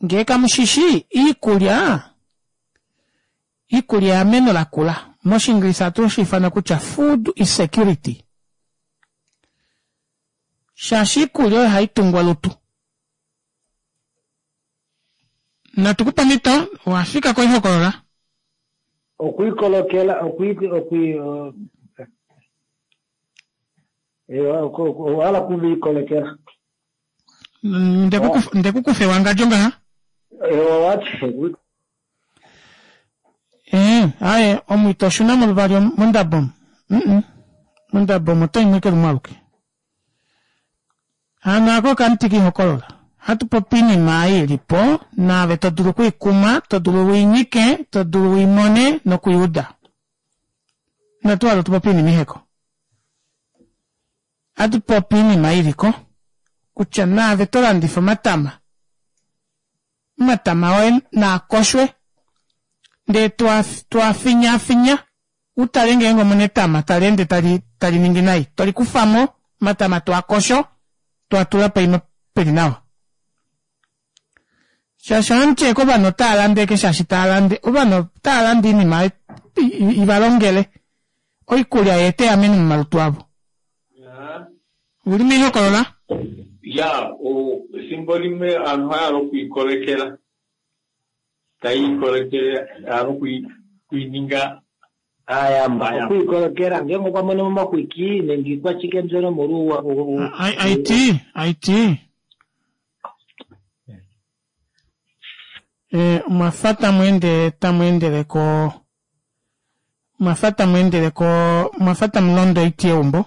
Ngee kamushishi iikulya iikulya eameno lakula. Moshiingilisa ohatu shi ifana kutya food is security. Shaashi iikulya oyo hayi tungu olutu. Natu kupe omhito owafika koihokolola. Okwiikolokela okwi okwi owala kuviikolekela. Ndekukufa ewangadjo ngaha? Owati. Aye omwito oshuna moluvali mondabo. Mondabo omo oto imwe lumwe aluke. Hano ako okamuti kiihokolola. Hatu popi iinima ei ilipo naave to dulu okwiikuma, to dulu wiinyike, to dulu wiimone nokwiiuda. Inatu hala tupopi iinima iheko. Hatu popi iinima iliko kutya naave to landifa omatama. Omatama oye naakoshwe ndee twafinyafinya utale ngeenge omuna etama tali ende tali ningi nai. Tolikufamo omatama twakosho twatula poima peli nawa. Shaashi ohamuti eke ovanhu otaa lande eke shaashi taa lande ovanhu otaa lande iinima ivalongele oikulya yeete eameno momalutu avo. Uli miihokolola? Ya, ethimbo limwe aantu ohaya hala okwiikolekela. Tayi ikolekele hala okwiininga Aayamba okwiikolokela ngeenge okwa mono momaxwiki nenge ikwashike mbyono omolwouwa It it eh, omwa fa tamu ende tamu endele ko omwa fa tamu endele ko omwa fa tamu londo oiti yeumbo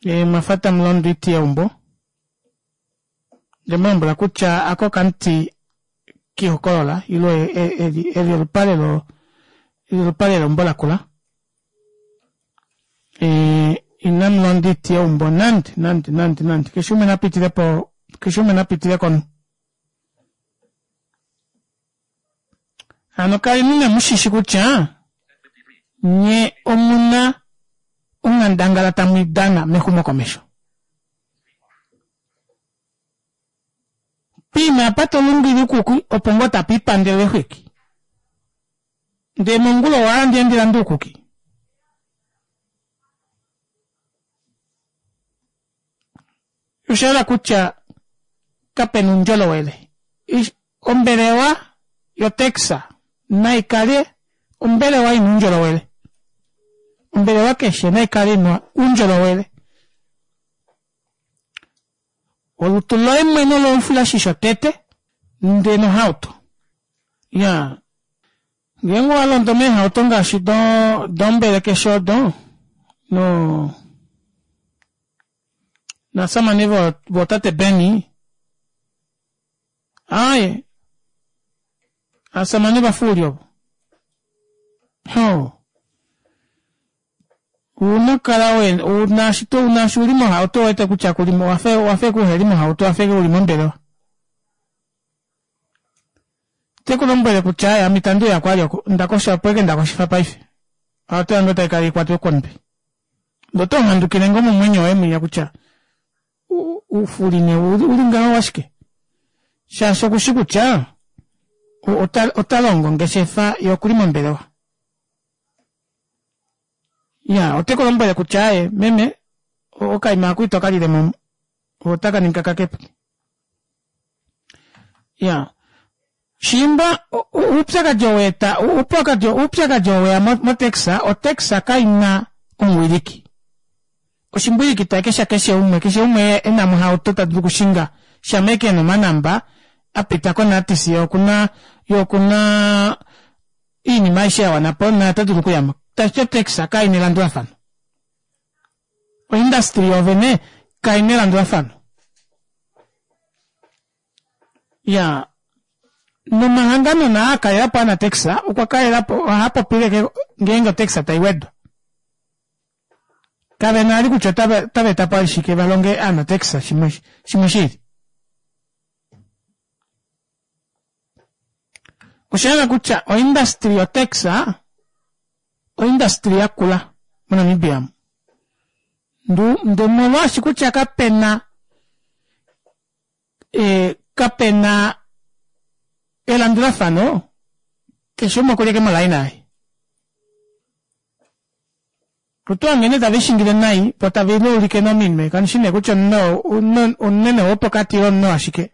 eh, omwa fa tamu londo oiti yeumbo Nde mu lombwela kutya ako okamuti kiihokolola ilo eli olupale lo eli olupale leumbo lakula. E, inamu londa oiti yeumbo nande nande nande nande keshe umwe na pitile po keshe umwe na pitile komunhu. Hano kaleni ne mu shishi kutya nye omuna onghandangala tamu i dana mexumokomesho. Piima apa to lungile ukuki opo ngoo tapa ipandele exwiki. Ndee mongula owa hala ndiye ndi lande uukuki? Osha yela kutya kape na uundjolowele. Ombelewa yotax nai kale ombelewa i na uundjolowele. Ombelewa keshe nai kale i na uundjolowele. Olutu loye mwene olo olufulashisho tete ndee nohauto. Iyaa, ngeenge owa londo meehauto ngaashi do dombelekeshe odo no nasamane vo votate Benny aaye aasamane vafuuli ovo ho Ouna kala we naashi to naashi uli mohauto wete kutya kuli mo wafe wafe kuheli mohauto wafe uli mombelewa. Te ku lombwele kutya ame itandi uya kwali oku ndakosha opo eke ndakoshifa paife. Ohauto yange otai kala ikwatwe komutwe. Ndee oto handukile ngoo momwenyo woye mwinya kutya uufuli ne uli ngaho washike? Shaashi okushi kutya ota ota longo ongeshefa ye okuli mombelewa. Ya, ote ku lombwele kutya aye meme okaima aku ito ka lile mo otaka ningi kakakepo. Ya, shiimba uupyakadi oweeta uupyakadi uupyakadi oweya motaxa otaxa kaina omuwiliki oshimbwiliki taike sha keshe umwe keshe umwe e na mohauto ta dulu okushinga shama eke ena omanamba a pita konatis ye okuna ye okuna iinima aishe ya wana po naye ota dulu okuya mo. Tashi ti otax kai na elandulafano. Oindastri yoovene kai na elandulafano. Ya, nomahangano naa a kalela po anatax okwa kalela po ohaa popile ke ngeenge otax tai wedwa. Kave na ali kutya otava otava eta po ali shike va longe aanatax shimwe shimwe shi ili. Osha yela kutya oindastri yotax oindastri yakula moNamibia omu. Ndu nde molwaashi kutya kapena e, kapena elandulafano keshe umwe okuli eke molaina yaye. Otu nghene tave shingile nai po tave liulike nominwe kandi shi nee kutya omunwe omunene wopokati ile omunwe washike.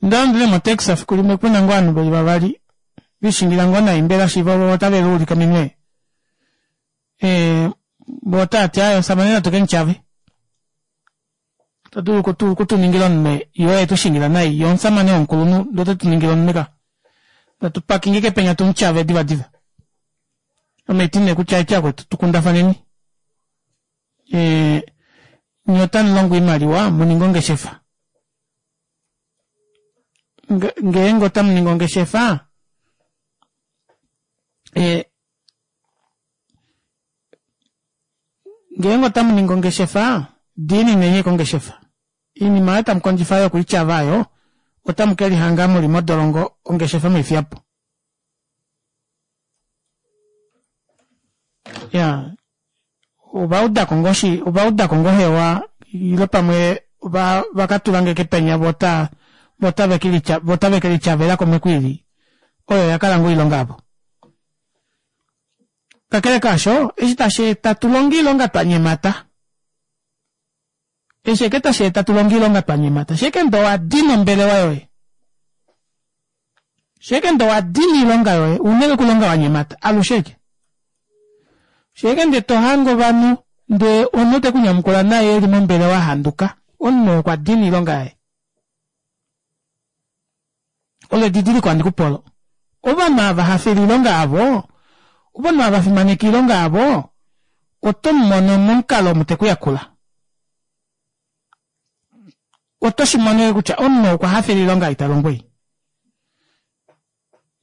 Onda londele motaxi efiku limwe puna ngoo ovanhu veli vavali vishingila ngoo nai mbela shiiva ovo otave liulike ominwe. Eh, vo otava ti aye omusamane natu ke mutyave. Ota dulu okutu okutuningila omunwe ye oye tu shingila nai ye omusamane womukulunhu ndee ote tu ningile omunwe ka. Natu pakinge kepenya tu mutyave divadiva. Ame ti nee kutya eti akwetu tukundafaneni. Eh, nye otamu longo oimaliwa mu ninge ongeshefa. Ngeenge otamu ningi ongeshefa eh, ngeenge otamu ningi ongeshefa diinineni kongeshefa. Iinima oyo tamu kondjifa yokuityava oyo otamu ke lihanga mu li modolongo ongeshefa mweifiya po. Ya, ova udako ngoo shi ova udako ngoo hewa ile pamwe ova va ka tula nge kepenya vo ota vo otave ke litya vo otave ke lityavela kumwe kwiili oyo oya kala ngoo oilonga yavo. Kakele kaasho, eshi tashi eta tu longe oilonga twa nyemata. Eshi eke tashi eta tu longe oilonga twa nyemata. Sheke ndo wa dina ombelewa yoye. Sheeke nde owa dina oilonga yoye, una eke okulonga wa nyemata, alushe eke. Sheeke nde to hange ovanhu ndee omunhu te ku nyamukula naye eli mombelewa a handuka, omunhu oo okwa dina oilonga yaye. Olo edidiliko handi ku pe olo. Ovanhu ava hafela oilonga yavo, ovanhu ava fimaneka oilonga yavo, oto mu mono momukalo omu te ku yakula. Oto shi mono kutya omunhu okwa hafela oilonga ei ta longo ei.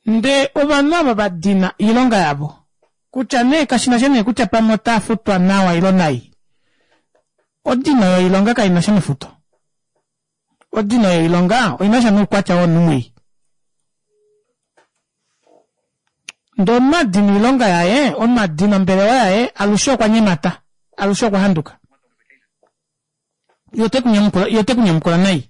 Ndee ovanhu ava va dina oilonga yavo, kutya nee kashi na sha nee kutya pamwe otaa futwa nawa ilo nai, odino yoilonga kai na sha nefuto. Odino yoilonga oi na sha noukwatya womunhu mwii. Ndee omunhu a dina oilonga yaye, omunhu a dina ombelewa yaye, alushe okwa nyemata, alushe okwa handuka. Ye ote ku nyamukula, ye ote ku nyamukula nai.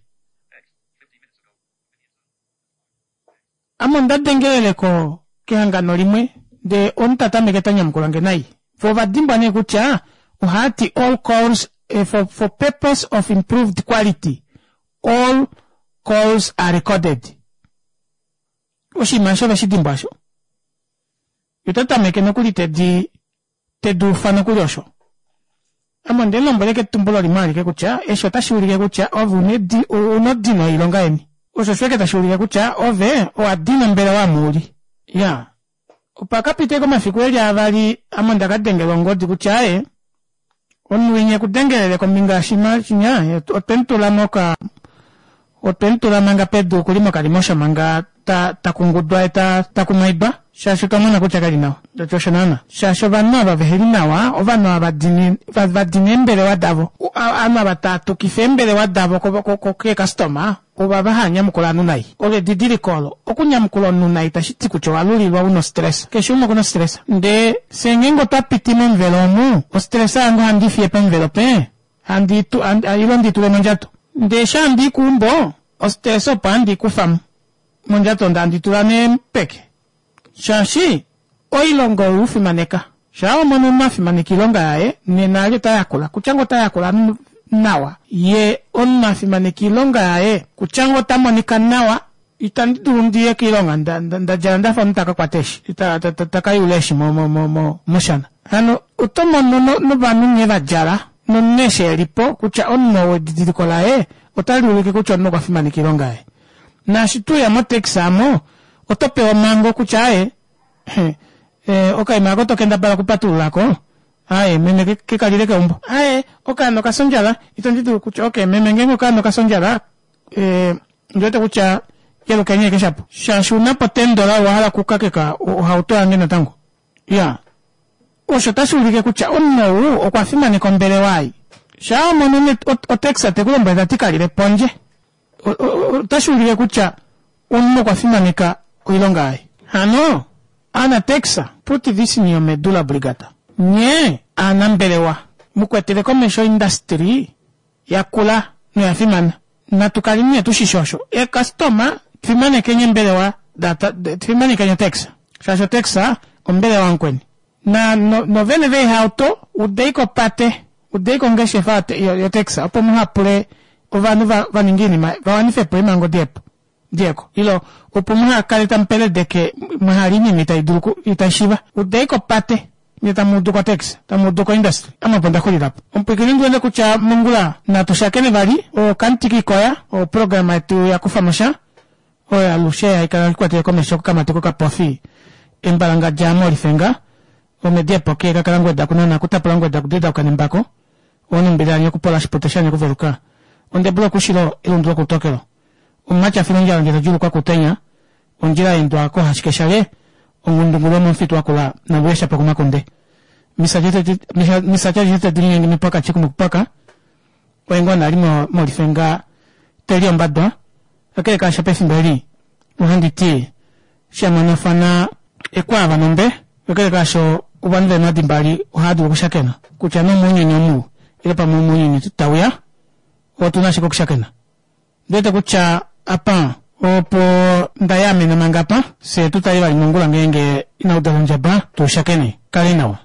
Ame onda dengelele ko kehangano limwe ndee omunhu ta tameke ta nyamukula nge nai. Vo ova dimbwa nee kutya ohaa ti all calls eh, for, for purpose of improved quality all calls are recorded. Oshinima osho ove shi dimbwa osho. Ye ota tameke nokuli te di te di ufa nokuli osho. Ame onde mu lombwela ashike etumbulo limwe alike kutya eshi otashi ulike kutya ove una odino yoilonga yeni. Osho osho ashike tashi ulike kutya ove owa dina ombelewa omu uli. Iyaa. Opa ka pita ashike omafiku eli avali ame onda ka dengelwa ongodi kutya aaye omunhu winya eku dengelele kombinga yoshima shinya otwe mu tula moka otwe mu tula manga pedu okuli mokalimosho manga ta ta kungudwa ye ta ta kumaidwa shaashi otwa mona kutya keli nawa. Ndati osho naana shaashi ovanhu ava veheli nawa ovanhu ava dini va dina eembelewa davo ovanhu ava taa tukifa eembelewa davo keekastoma ovava haa nyamukula ovanhu nai. Olo edidiliko olo. Okunyamukula omunhu nai itashi ti kutya owa lulilwa una ostresa. Keshe umwe okuna ostresa. Ndee fye ngeenge otwa piti momuvelo omu, ostresa yange ohandi i fiye pomuvelo pe handi i tu, ile ndi i tule mondjato. Ndee eshi handi i keumbo, ostresa opo handi i kufa mo mondjato ndee handi tula nee peke. Shaashi oilonga oyo u fimaneka. Shaa wa mono omunhu a fimaneka oilonga yaye, nena ali ota yakula. Kutya ngoo ota yakula nawa, ye omunhu a fimaneka oilonga yaye, kutya ngoo ota monika nawa, itandi dulu ndi ye koilonga nda, nda, nda djala nda fa omunhu ta ka kwata eeshi, ta, ta, ta, ta ka yula eeshi mo, mo, mo, mo, moshana. Hano oto mono no, novanhu nghee va djala, nomunhu eshi e li po, kutya omunhu ou edidiliko laye otali ulike kutya omunhu okwa fimaneka oilonga yaye. Naashi to uya motaxi amo, oto pewa omhango kutya aaye, eh, okaima ako to kendabala okupatulula ko, aaye, meme ke kalile keumbo. Aaye, okaana okafya ondjala, itandi dulu kutya, okay, meme ngeenge okaana okafya ondjala, eh, ondi wete kutya yelukeni ashike shapo. Shaashi una po tendola owa hala okukakeka ohauto yange natango. Iya. Osho otashi ulike kutya omunhu ou okwa fimaneka ombelewa ei. Shaa wa mono otaxi te ku lombwele ta ti kalile pondje. Otashi ulike kutya omunhu okwa fimaneka oilonga yaye. Hano, Anatex, put this in your medulla oblongata. Nye aanambelewa, mu kwetele komesho oindastri yakula noya fimana. Natu kaleni nee tu shi shi osho. Eekastoma, fimanekeni eembelewa da, fimanekeni otax. Shaashi otax ombelewa yamukweni. Na, no, novene veehauto, udei kopate, udei kongeshefa yotax opo muha pule ovanhu va, va ninge oinima, va wanife po eemhango dihepo. Diego, ilo opo muha kale tamu peledeke mwa hala oinima itai dulu ku, itai shiva. Udei kopate, nye tamu udu kotaxi, tamu udu koindustry. Ame opo nda xulila po. Omupwiikini ndi wete kutya mongula natu shakene vali, okamuti kiikoya, oprograma yetu ya kufa mo sha, oyo alushe hai kala ikwatele komesho kokamati kokapofi embalangadja mOlifenga, omedi epoke kakala ngweda kunana kutapula ngweda kudida kukanembako, onumbila yanye okupola shipute shanye okuveluka, ondebula okushilo elundu lokutokelo. Omumati a fila ondjala ndele ta djuulukwa kuutenya, ondjila ya endwa koohashikeshalye, ongundungulu yomomufitu wa kula naLuyesha pokumakunde. Misa tya tadi linyenge mipwaka chikumukupwaka, oye ngoo nali mOlifenga te li ombadwa. Kakele kaasho pefimbo eli ohandi ti shamonafana ekwaava nombe. Kakele kaasho ovanhu veemhadi mbali ohava dulu okushakena kutya nee omounyuni omu ile pamwe omounyuni tau ya, otu na ashike okushakena. Ondi wete kutya apa opo nda yaamena manga apa, fye tu tale vali mongula ngeenge inau dala ondjaba tu shakene. Kaleni nawa.